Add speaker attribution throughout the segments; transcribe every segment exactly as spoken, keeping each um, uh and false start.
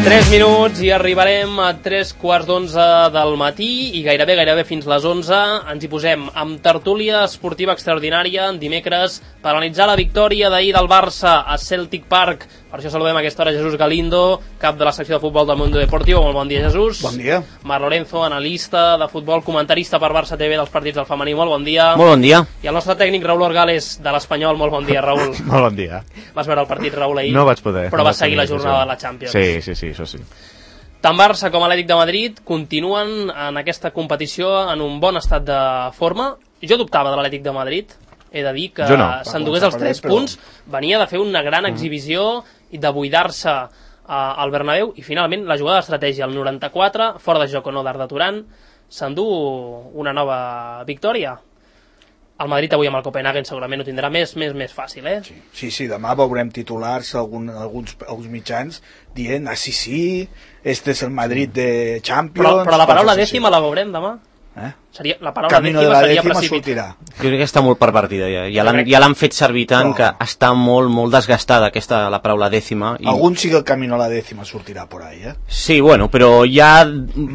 Speaker 1: tres minuts i arribarem a tres quarts d'onze del matí i gairebé, gairebé fins les onze ens hi posem amb tertúlia esportiva extraordinària en dimecres per analitzar la victòria d'ahir del Barça a Celtic Park. Per això saludem a aquesta hora Jesús Galindo, cap de la secció de futbol del Mundo Deportivo. Molt bon dia, Jesús.
Speaker 2: Bon dia.
Speaker 1: Marc Lorenzo, analista de futbol, comentarista per Barça T V dels partits del femení. Molt bon dia.
Speaker 3: Molt bon dia.
Speaker 1: I el nostre tècnic Raúl Orgales de l'Espanyol. Molt bon dia, Raúl.
Speaker 4: Molt bon dia.
Speaker 1: Vas veure el partit, Raúl, ahir?
Speaker 4: No vaig poder.
Speaker 1: Però
Speaker 4: no
Speaker 1: vas seguir la jornada de la Champions.
Speaker 4: Sí, sí, sí, això sí.
Speaker 1: Tant Barça com Atlètic de Madrid continuen en aquesta competició en un bon estat de forma. Jo dubtava de l'Atlètic de Madrid, he de dir que
Speaker 4: no.
Speaker 1: s'endugués els tres punts, venia de fer una gran exhibició i de buidar-se al Bernabéu, i finalment la jugada d'estratègia al noranta-quatre, fora de joc o no d'Arda Turan, s'endú una nova victòria. El Madrid avui amb el Copenhagen segurament ho tindrà més, més, més fàcil, eh?
Speaker 2: Sí, sí, sí, demà veurem titulars algun, alguns, alguns mitjans dient, ah, sí, sí, este és el Madrid de Champions...
Speaker 1: Però, però la paraula dècima la veurem demà?
Speaker 2: Eh?
Speaker 1: Seria, la paraula
Speaker 2: Camino
Speaker 1: dècima
Speaker 2: de la
Speaker 1: seria
Speaker 2: dècima
Speaker 1: precipit.
Speaker 2: sortirà.
Speaker 3: Jo crec que està molt pervertida ja. Ja l'han ja l'han fet servir tant
Speaker 2: No.
Speaker 3: que està molt, molt desgastada aquesta, la paraula dècima. I...
Speaker 2: Algun sí que el camino a la dècima sortirà por ahí, eh?
Speaker 3: Sí, bueno, però ja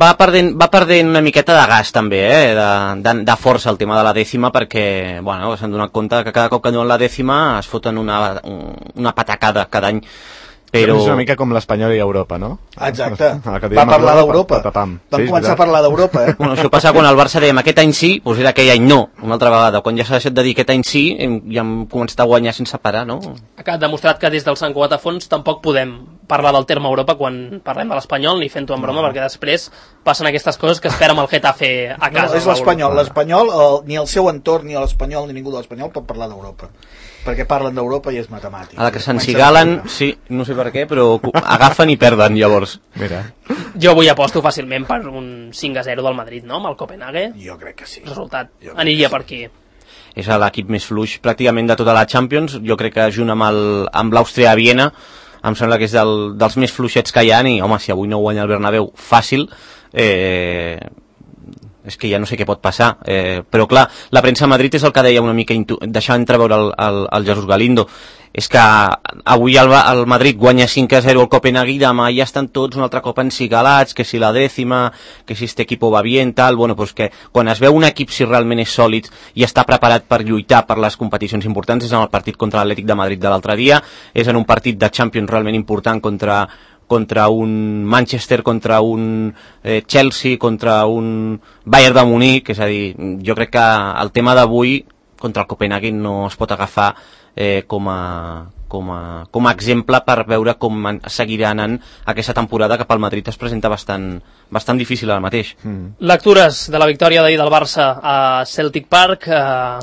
Speaker 3: va perdent, va perdent una miqueta de gas també, eh? de, de, de força el tema de la dècima, perquè bueno, s'han donat compte que cada cop que diuen la dècima es foten una, una patacada cada any. Però...
Speaker 4: És una mica com l'Espanyol i Europa, no?
Speaker 2: Exacte.
Speaker 4: Va
Speaker 2: parlar d'Europa.
Speaker 4: Vam
Speaker 2: Vam començar a parlar d'Europa, eh?
Speaker 3: Bueno, això passa quan el Barça dèiem aquest any sí, doncs era aquell any no, una altra vegada. Quan ja s'ha deixat de dir aquest any sí, hem, ja hem començat a guanyar sense parar, no?
Speaker 1: Ha quedat demostrat que des del Sant Cugat a fons tampoc podem parlar del terme Europa quan parlem de l'Espanyol, ni fent-ho en broma, no. Perquè després passen aquestes coses que esperem el Getafe a casa.
Speaker 2: No, és l'Espanyol. L'Espanyol, el, ni el seu entorn, ni l'Espanyol, ni ningú de l'Espanyol pot parlar d'Europa. Perquè parlen d'Europa i és matemàtic.
Speaker 3: A la que s'encigalen, sí, no sé per què, però agafen i perden, llavors.
Speaker 4: Mira.
Speaker 1: Jo avui aposto fàcilment per un cinc a zero del Madrid, no?, amb el Copenhagen.
Speaker 2: Jo crec que sí.
Speaker 1: El resultat
Speaker 2: Jo
Speaker 1: aniria
Speaker 2: sí.
Speaker 1: per aquí.
Speaker 3: És l'equip més fluix pràcticament de tota la Champions. Jo crec que junt amb el, amb l'Àustria a Viena em sembla que és del, dels més fluixets que hi ha, i home, si avui no guanya el Bernabéu fàcil, eh, és que ja no sé què pot passar, eh, però clar, la premsa a Madrid és el que deia una mica, deixar entreveure el, el, el Jesús Galindo, és que avui el, el Madrid guanya cinc a zero al Copenhagen, demà ja estan tots un altre cop encigalats, que si la dècima, que si este equipo va bien, tal, bueno, pues que quan es veu un equip si realment és sòlid i està preparat per lluitar per les competicions importants, és en el partit contra l'Atlètic de Madrid de l'altre dia, és en un partit de Champions realment important contra contra un Manchester, contra un eh, Chelsea, contra un Bayern de Munic, és a dir, jo crec que el tema d'avui contra el Copenhagen no es pot agafar eh, com, a, com, a, com a exemple per veure com seguirà anant aquesta temporada, que pel Madrid es presenta bastant, bastant difícil ara mateix.
Speaker 4: Mm.
Speaker 1: Lectures de la victòria d'ahir del Barça a Celtic Park, eh,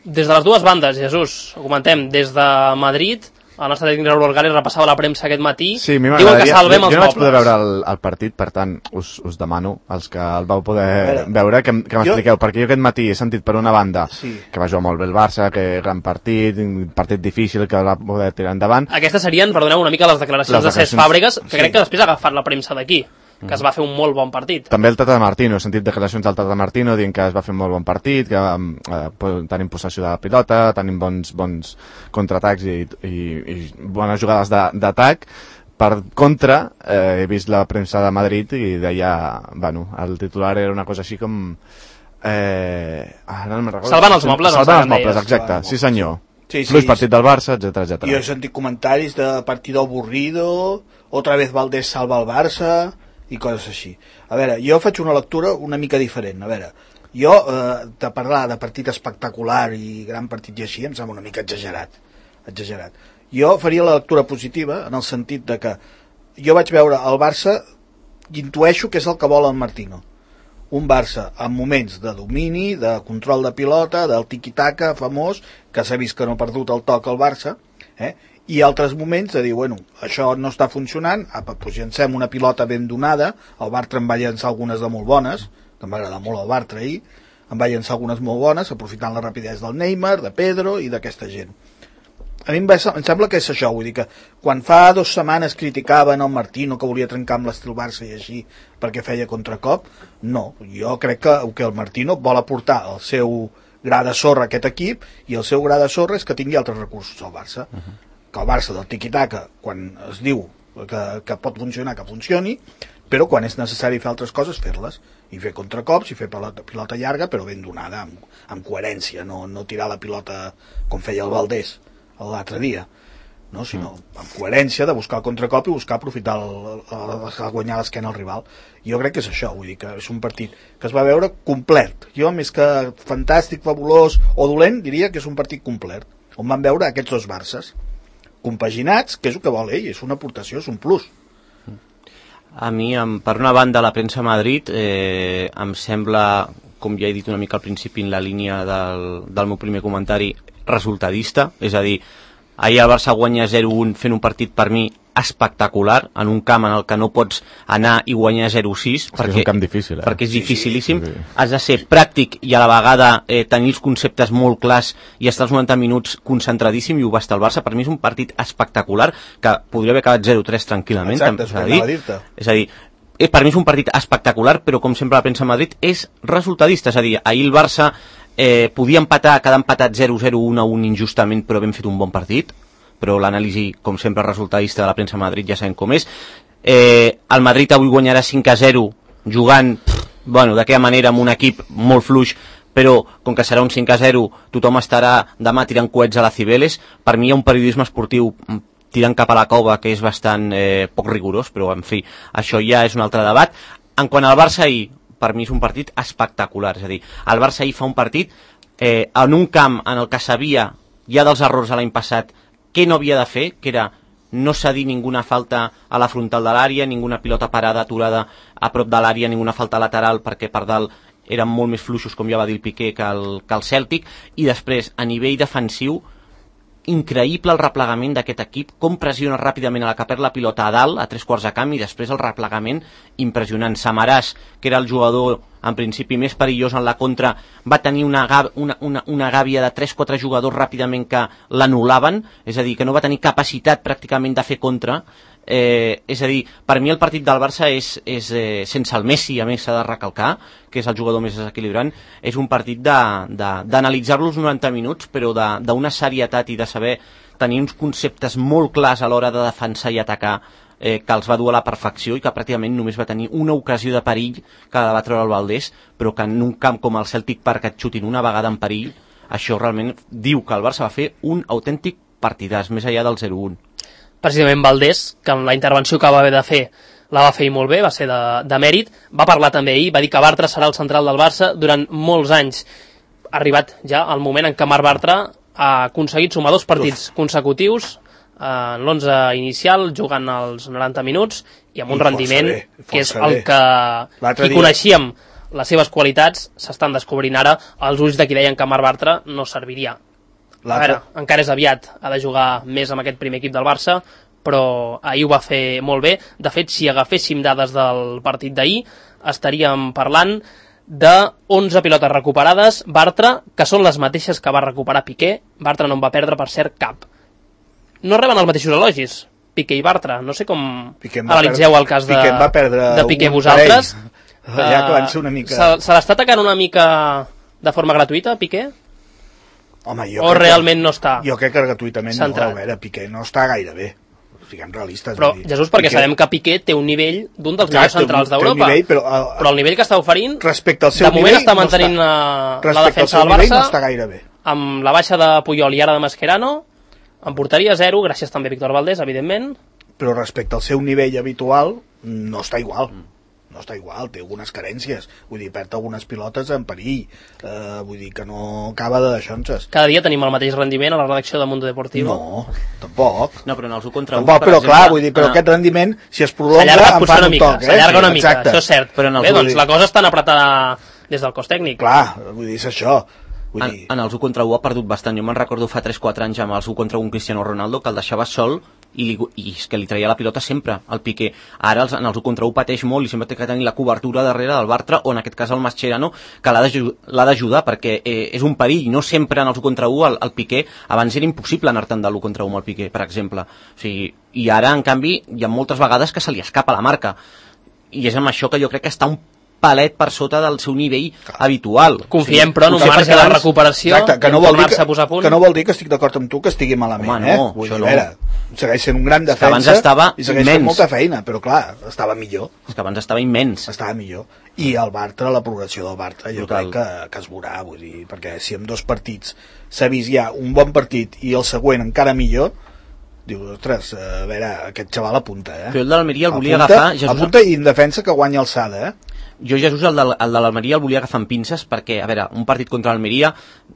Speaker 1: des de les dues bandes, Jesús, ho comentem, des de Madrid. El nostre tècnic Raúl Orgales repassava la premsa aquest matí.
Speaker 4: Sí, a mi
Speaker 1: diuen que salvem
Speaker 4: jo,
Speaker 1: els
Speaker 4: jo no vaig
Speaker 1: mobles.
Speaker 4: poder veure el, el partit, per tant, us, us demano, els que el vau poder
Speaker 2: veure,
Speaker 4: veure, que, que m'expliqueu,
Speaker 2: jo...
Speaker 4: perquè jo aquest matí he sentit per una banda
Speaker 2: sí.
Speaker 4: que va jugar molt bé el Barça, que gran partit, un partit difícil, que va poder tirar endavant.
Speaker 1: Aquestes serien, perdoneu, una mica les declaracions,
Speaker 4: Les
Speaker 1: de Cesc
Speaker 4: declaracions,
Speaker 1: Fàbregas, que
Speaker 4: sí.
Speaker 1: crec que després ha agafat la premsa d'aquí, que es va fer un molt bon partit.
Speaker 4: També el Tata Martino, he sentit declaracions del Tata Martino dient que es va fer un molt bon partit, que eh, tenim possessió de la pilota, tenim bons, bons contraatacs i, i, i bones jugades d'atac. Per contra, eh, he vist la premsa de Madrid i deia, bueno, el titular era una cosa així com... Eh, ah, no me'n recordo.
Speaker 1: Salvant els mobles.
Speaker 4: Salvant els mobles, exacte, sí senyor.
Speaker 2: Sí, sí,
Speaker 4: Fluix partit del Barça, etcètera, etcètera.
Speaker 2: Jo he sentit comentaris de partido aburrido, otra vez Valdés salva el Barça i coses així. A veure, jo faig una lectura una mica diferent. A veure, jo eh, de parlar de partit espectacular i gran partit i així em sembla una mica exagerat. Exagerat. Jo faria la lectura positiva en el sentit de que jo vaig veure el Barça i intueixo que és el que vol el Martino. Un Barça amb moments de domini, de control de pilota, del tiki-taka famós, que s'ha vist que no ha perdut el toc al Barça, eh? I altres moments de dir, bueno, això no està funcionant, apa, doncs llancem una pilota ben donada, el Bartra em va llançar algunes de molt bones, que em va agradar molt el Bartra ahir, em va llançar algunes molt bones, aprofitant la rapidesa del Neymar, de Pedro i d'aquesta gent. A mi em, va, em sembla que és això, vull dir que quan fa dues setmanes criticaven el Martino que volia trencar amb l'estil Barça i així perquè feia contracop, no, jo crec que, que el Martino vol aportar el seu gra de sorra a aquest equip i el seu gra de sorra és que tingui altres recursos al Barça. Uh-huh. Que el Barça del tiki-taka, quan es diu que, que pot funcionar, que funcioni, però quan és necessari fer altres coses, fer-les, i fer contracops, i fer pilota, pilota llarga, però ben donada, amb, amb coherència, no, no tirar la pilota com feia el Valdés l'altre dia, no? Sinó amb coherència de buscar el contracop i buscar aprofitar el, el, el guanyar l'esquena al rival. Jo crec que és això, vull dir que és un partit que es va veure complet. Jo, més que fantàstic, fabulós o dolent, diria que és un partit complet, on van veure aquests dos Barces compaginats, que és el que vol ell, és una aportació, és un plus.
Speaker 3: A mi, per una banda, la premsa a Madrid eh, em sembla, com ja he dit una mica al principi en la línia del, del meu primer comentari, resultadista, és a dir, ahir el Barça guanya zero un fent un partit per mi espectacular, en un camp en el que no pots anar i guanyar zero sis, perquè
Speaker 4: és un camp difícil, eh?
Speaker 3: perquè és dificilíssim,
Speaker 4: sí, sí.
Speaker 3: Has de ser pràctic i a la vegada eh, tenir els conceptes molt clars i estar els noranta minuts concentradíssim, i ho va estar el Barça. Per mi és un partit espectacular que podria haver acabat zero tres tranquil·lament.
Speaker 2: Exacte,
Speaker 3: és a dir,
Speaker 2: dir-te.
Speaker 3: és a dir, eh, per mi és un partit espectacular, però com sempre la premsa a Madrid és resultadista, és a dir, ahir el Barça eh, podia empatar, quedar empatat zero zero un a un injustament, però ben fet un bon partit, però l'anàlisi, com sempre, resultadista de la premsa a Madrid ja sabem com és. Eh, el Madrid avui guanyarà cinc a zero jugant, bueno, d'aquella manera amb un equip molt fluix, però com que serà un cinc a zero tothom estarà demà tirant coets a la Cibeles. Per mi hi ha un periodisme esportiu tirant cap a la cova que és bastant eh, poc rigorós, però en fi, això ja és un altre debat. En quant al Barça ahir, per mi és un partit espectacular, és a dir, el Barça ahir fa un partit eh, en un camp en el que sabia ja dels errors de l'any passat què no havia de fer, que era no cedir ninguna falta a la frontal de l'àrea, ninguna pilota parada aturada a prop de l'àrea, ninguna falta lateral, perquè per dalt eren molt més fluixos, com ja va dir el Piqué, que el, que el Cèltic. I després, a nivell defensiu, increïble el replegament d'aquest equip, com pressiona ràpidament a la que perd la pilota a dalt, a tres quarts de camp, i després el replegament impressionant. Samaràs, que era el jugador en principi més perillós en la contra, va tenir una, una, una, una gàbia de tres quatre jugadors ràpidament que l'anul·laven, és a dir, que no va tenir capacitat pràcticament de fer contra. Eh, és a dir, per mi el partit del Barça és, és eh, sense el Messi, a més s'ha de recalcar, que és el jugador més desequilibrant, és un partit d'analitzar-lo els noranta minuts, però d'una serietat i de saber tenir uns conceptes molt clars a l'hora de defensar i atacar, eh, que els va dur a la perfecció, i que pràcticament només va tenir una ocasió de perill que la va treure el Valdés, però que en un camp com el Celtic Park et xutin una vegada en perill, això realment diu que el Barça va fer un autèntic partidàs, més enllà del zero un.
Speaker 1: Precisament Valdés, que en la intervenció que va haver de fer la va fer i molt bé, va ser de, de mèrit, va parlar també ahir, va dir que Bartra serà el central del Barça durant molts anys. Ha arribat ja el moment en què Marc Bartra ha aconseguit sumar dos partits Uf. consecutius en l'onze inicial, jugant els noranta minuts i amb un I rendiment bé, que és el que qui coneixíem les seves qualitats s'estan descobrint ara. Els ulls de qui deien que Marc Bartra no serviria. A veure, encara és aviat, ha de jugar més amb aquest primer equip del Barça, però ahir ho va fer molt bé. De fet, si agaféssim dades del partit d'ahir, estaríem parlant de onze pilotes recuperades, Bartra, que són les mateixes que va recuperar Piqué. Bartra no en va perdre, per cert, cap. No reben els mateixos elogis, Piqué i Bartra. No sé com analitzeu el cas de Piqué, va de Piqué vosaltres.
Speaker 2: Ja que van ser una mica...
Speaker 1: Se, se l'està atacant una mica de forma gratuïta, Piqué?
Speaker 2: Home, jo
Speaker 1: o realment que, no està
Speaker 2: jo crec que gratuïtament centrat. No, a veure, Piqué no està gaire bé, siguem realistes.
Speaker 1: Però, dir, Jesús, perquè Piqué... sabem que Piqué té un nivell d'un dels millors centrals d'Europa, però, uh, però el nivell que està oferint
Speaker 2: respecte al seu
Speaker 1: de moment
Speaker 2: nivell,
Speaker 1: està mantenint no està. La defensa del Barça,
Speaker 2: no està gaire bé.
Speaker 1: Amb la baixa de Puyol i ara de Mascherano, en porteria zero, gràcies també a Víctor Valdés, evidentment.
Speaker 2: Però respecte al seu nivell habitual no està igual. No està igual, té algunes carències, vull dir, perd algunes pilotes en perill, eh, vull dir que no acaba de deixar-nos.
Speaker 1: Cada dia tenim el mateix rendiment a la redacció de Mundo Deportivo?
Speaker 2: No, tampoc.
Speaker 1: No, però en els u contra u,
Speaker 2: tampoc, però exemple, clar, vull dir, però ah. aquest rendiment, si es prolonga, em fa un toc, eh?
Speaker 1: S'allarga una mica, això és cert, però en els bé, doncs la cosa està apretada des del cos tècnic.
Speaker 2: Clar, vull dir, és això. Vull
Speaker 3: en,
Speaker 2: dir...
Speaker 3: en els u contra u ha perdut bastant. Jo me'n recordo fa tres quatre anys amb els u contra un Cristiano Ronaldo, que el deixava sol i, li, i és que li traia la pilota sempre al Piqué. Ara els, en els u contra u pateix molt i sempre té que tenir la cobertura darrere del Bartra, o en aquest cas el Mascherano, que l'ha d'ajudar perquè eh, és un perill. No sempre en els u contra u el, el Piqué, abans era impossible anar-te'n de l'u contra u amb el Piqué, per exemple. O sigui, i ara, en canvi, hi ha moltes vegades que se li escapa la marca, i és amb això que jo crec que està un palet per sota del seu nivell habitual.
Speaker 1: Confiem, però, en un marge de recuperació,
Speaker 2: exacte, que no vol dir que, que no vol dir que estic d'acord amb tu que estigui malament.
Speaker 3: Home, no,
Speaker 2: eh? Vull
Speaker 3: això
Speaker 2: dir, no. Veure, segueix sent un gran defensa
Speaker 3: abans estava
Speaker 2: i segueix
Speaker 3: immens.
Speaker 2: fent molta feina, però clar, estava millor.
Speaker 3: És que abans estava immens.
Speaker 2: Estava millor. I el Bartra, la progressió del Bartra, jo
Speaker 3: Total.
Speaker 2: crec que, que es veurà, vull dir, perquè si en dos partits s'ha vist ja un bon partit i el següent encara millor, dius, ostres, a veure, aquest xaval apunta, eh?
Speaker 3: Però el de l'Almeria el volia
Speaker 2: apunta,
Speaker 3: agafar... Jesús...
Speaker 2: Apunta i en defensa que guanya alçada, eh?
Speaker 3: Jo, Jesús, el de, el de l'Almeria el volia agafar amb pinces perquè, a veure, un partit contra l'Almeria,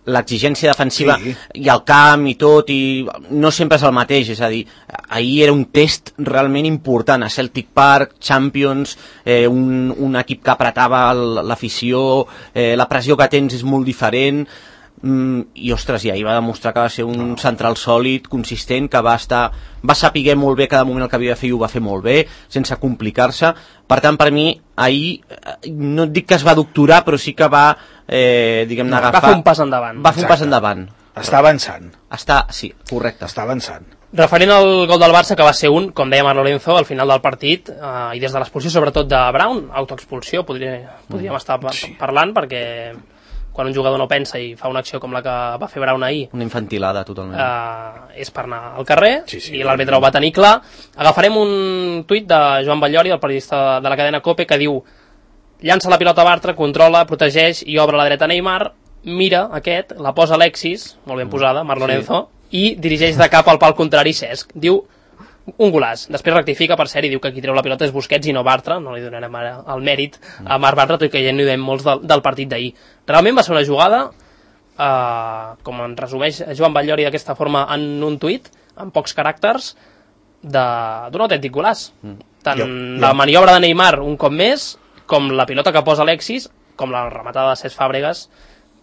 Speaker 3: l'exigència defensiva
Speaker 2: sí.
Speaker 3: i el camp i tot, i no sempre és el mateix, és a dir, ahir era un test realment important a Celtic Park, Champions, eh, un, un equip que apretava l'afició, eh, la pressió que tens és molt diferent, mm, i ostres, i ahir va demostrar que va ser un central sòlid, consistent, que va estar va saber molt bé cada moment el que havia de fer i ho va fer molt bé, sense complicar-se. Per tant, per mi, ahir no et dic que es va doctorar, però sí que va eh, diguem-ne
Speaker 1: no,
Speaker 3: agafar...
Speaker 1: Va fer un pas endavant.
Speaker 3: Va fer un
Speaker 2: Exacte.
Speaker 3: pas endavant.
Speaker 2: Està avançant.
Speaker 3: Està, sí, correcte.
Speaker 2: Està avançant.
Speaker 1: Referent al gol del Barça, que va ser un, com deia Marc Lorenzo, al final del partit, eh, i des de l'expulsió, sobretot de Brown, autoexpulsió, podríem, podríem estar par
Speaker 2: sí.
Speaker 1: parlant, perquè quan un jugador no pensa i fa una acció com la que va fer Brown ahir,
Speaker 3: Una infantilada, totalment.
Speaker 1: eh, és per anar al carrer,
Speaker 2: Sí, sí,
Speaker 1: i l'àrbitre ho va tenir clar. Agafarem un tuit de Joan Batllori, el periodista de la cadena COPE, que diu: llança la pilota a Bartra, controla, protegeix i obre la dreta a Neymar, mira aquest, la posa Alexis, molt ben posada, Marc Lorenzo, sí. i dirigeix de cap al pal contrari Cesc. Diu un golàs. Després rectifica, per cert, i diu que qui treu la pilota és Busquets i no Bartra. No li donarem ara el mèrit a Marc Bartra, tot i que ja n'hi veiem molts del, del partit d'ahir. Realment va ser una jugada, eh, com en resumeix Joan Batllori d'aquesta forma en un tuit, amb pocs caràcters, d'un autèntic golàs. Tant
Speaker 2: Jo,
Speaker 1: la
Speaker 2: jo.
Speaker 1: maniobra de Neymar un cop més, com la pilota que posa Alexis, com la rematada de Cesc Fàbregas,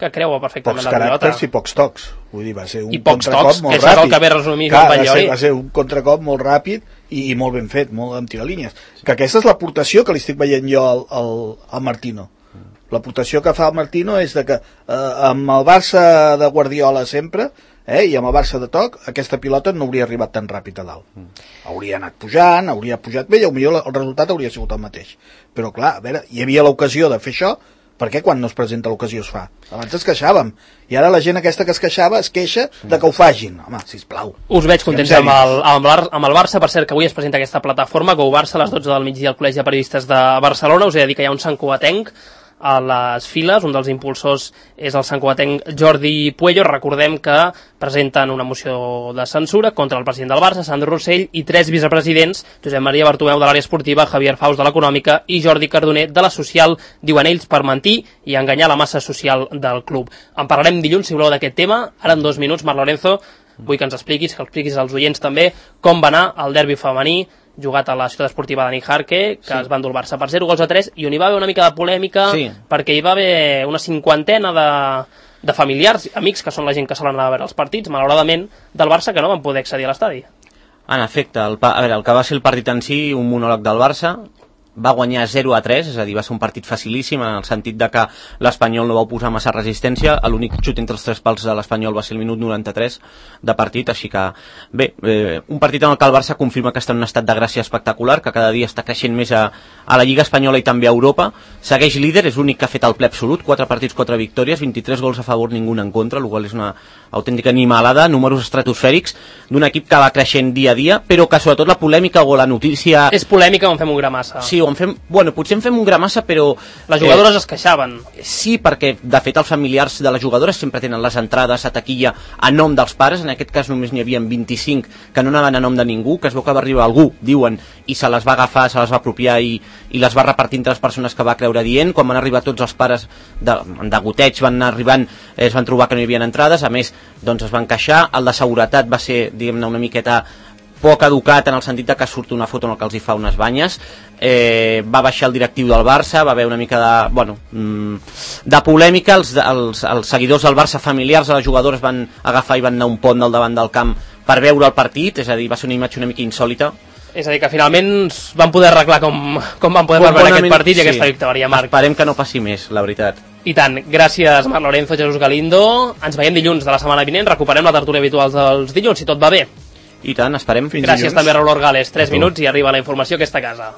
Speaker 1: que creua perfectament
Speaker 2: Pocs
Speaker 1: la pilota.
Speaker 2: caràcters i pocs tocs. Vull dir, va ser un
Speaker 1: I pocs
Speaker 2: contracop
Speaker 1: tocs,
Speaker 2: molt
Speaker 1: que
Speaker 2: ràpid.
Speaker 1: això és el que ve resumir
Speaker 2: Clar,
Speaker 1: Joan
Speaker 2: va
Speaker 1: Batllori.
Speaker 2: ser, va ser un contracop molt ràpid i, i molt ben fet, molt amb tiralínies. Que aquesta és l'aportació que li estic veient jo al, al, al Martino. L'aportació que fa el Martino és de que eh, amb el Barça de Guardiola sempre, eh, i amb el Barça de toc, aquesta pilota no hauria arribat tan ràpid a dalt. Hauria anat pujant, hauria pujat bé, i potser el resultat hauria sigut el mateix. Però clar, a veure, hi havia l'ocasió de fer això. Per què quan no es presenta l'ocasió es fa? Abans es queixàvem. I ara la gent aquesta que es queixava es queixa de que ho fagin. Home, sisplau.
Speaker 1: Us veig contents amb el, amb, el, amb el Barça. Per cert, que avui es presenta aquesta plataforma Go Barça a les dotze del migdia al Col·legi de Periodistes de Barcelona. Us he de dir que hi ha un santcugatenc a les files, un dels impulsors és el santcugatenc Jordi Puello. Recordem que presenten una moció de censura contra el president del Barça, Sandro Rossell, i tres vicepresidents, Josep Maria Bartomeu de l'àrea esportiva, Javier Faus de l'econòmica i Jordi Cardoner de la social, diuen ells, per mentir i enganyar la massa social del club. En parlarem dilluns, si voleu, d'aquest tema. Ara en dos minuts, Marc Lorenzo, vull que ens expliquis, que expliquis als oients també com va anar el derbi femení jugat a la ciutat esportiva de Nijarque, que sí. es va endur el Barça per zero gols a tres, i on hi va haver una mica de polèmica, sí. perquè hi va haver una cinquantena de, de familiars, amics, que són la gent que solen anar a veure els partits, malauradament, del Barça, que no van poder accedir a l'estadi.
Speaker 3: En efecte, el, a veure, el que va ser el partit en si, un monòleg del Barça, va guanyar zero a tres, és a dir, va ser un partit facilíssim en el sentit de que l'Espanyol no va oposar massa resistència, l'únic xut entre els tres pals de l'Espanyol va ser el minut noranta-tres de partit, així que bé, eh, un partit en el que el Barça confirma que està en un estat de gràcia espectacular, que cada dia està creixent més a, a la Lliga Espanyola i també a Europa, segueix líder, és l'únic que ha fet el ple absolut, quatre partits, quatre victòries, vint-i-tres gols a favor, ningú en contra, el qual és una autèntica animalada, números estratosfèrics d'un equip que va creixent dia a dia, però que sobretot la polèmica o la notícia...
Speaker 1: És polèmica on fem un gra massa.
Speaker 3: Sí, on fem... Bueno, potser en fem un gra massa, però...
Speaker 1: Les jugadores eh, es queixaven.
Speaker 3: Sí, perquè, de fet, els familiars de les jugadores sempre tenen les entrades a taquilla a nom dels pares, en aquest cas només n'hi havia vint-i-cinc que no anaven a nom de ningú, que es veu que va arribar algú, diuen, i se les va agafar, se les va apropiar i, i les va repartir entre les persones que va creure dient. Quan van arribar tots els pares de, de goteig, van anar arribant, eh, es van trobar que no hi havia entrades, a més, doncs es van queixar. El de seguretat va ser, diguem-ne, una miqueta poc educat en el sentit de que surt una foto en què els hi fa unes banyes. Eh, va baixar el directiu del Barça, va haver una mica de, bueno, de polèmica. Els, els, els seguidors del Barça, familiars de les jugadores, van agafar i van anar un pont del davant del camp per veure el partit, és a dir, va ser una imatge una mica insòlita.
Speaker 1: És a dir, que finalment van poder arreglar com, com van poder veure aquest partit i sí. aquesta victòria, Marc.
Speaker 3: Esperem que no passi més, la veritat.
Speaker 1: I tant, gràcies Marc Lorenzo, Jesús Galindo. Ens veiem dilluns de la setmana vinent, recuperem la tertúlia habitual dels dilluns, si tot va bé.
Speaker 3: I tant, esperem.
Speaker 1: Fins gràcies dilluns. També a Raúl Orgales, tres minuts i arriba la informació a aquesta casa.